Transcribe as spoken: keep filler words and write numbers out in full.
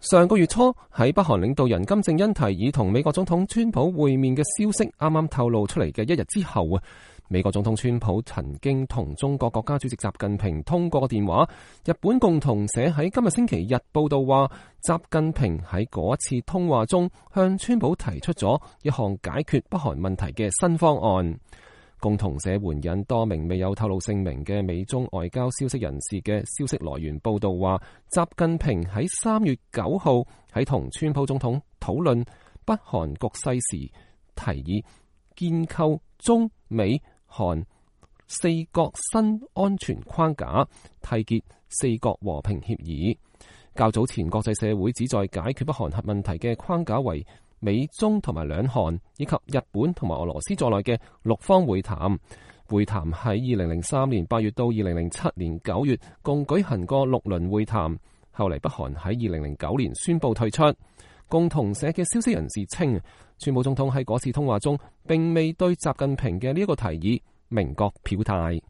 上個月初喺北韓領導人金正恩提議同美國總統川普會面嘅消息啱啱透露出嚟嘅一日之後啊，美國總統川普曾經同中國國家主席習近平通過個電話。日本共同社喺今日星期日報道話，習近平喺嗰一次通話中向川普提出咗一項解決北韓問題嘅新方案。共同社援引多名未有透露姓名嘅美中外交消息人士嘅消息來源報道話，習近平喺三月九號喺同川普總統討論北韓局勢時，提議建構中美韓四國新安全框架，締結四國和平協議。較早前國際社會旨在解決北韓核問題嘅框架為美中同埋兩韓以及日本同埋俄羅斯在內嘅六方會談。會談喺二零零三年八月到二零零七年九月共舉行過六輪會談。後嚟北韓喺二零零九年宣布退出。共同社嘅消息人士稱，川普總統喺嗰次通話中並未對習近平嘅呢一個提議明確表態。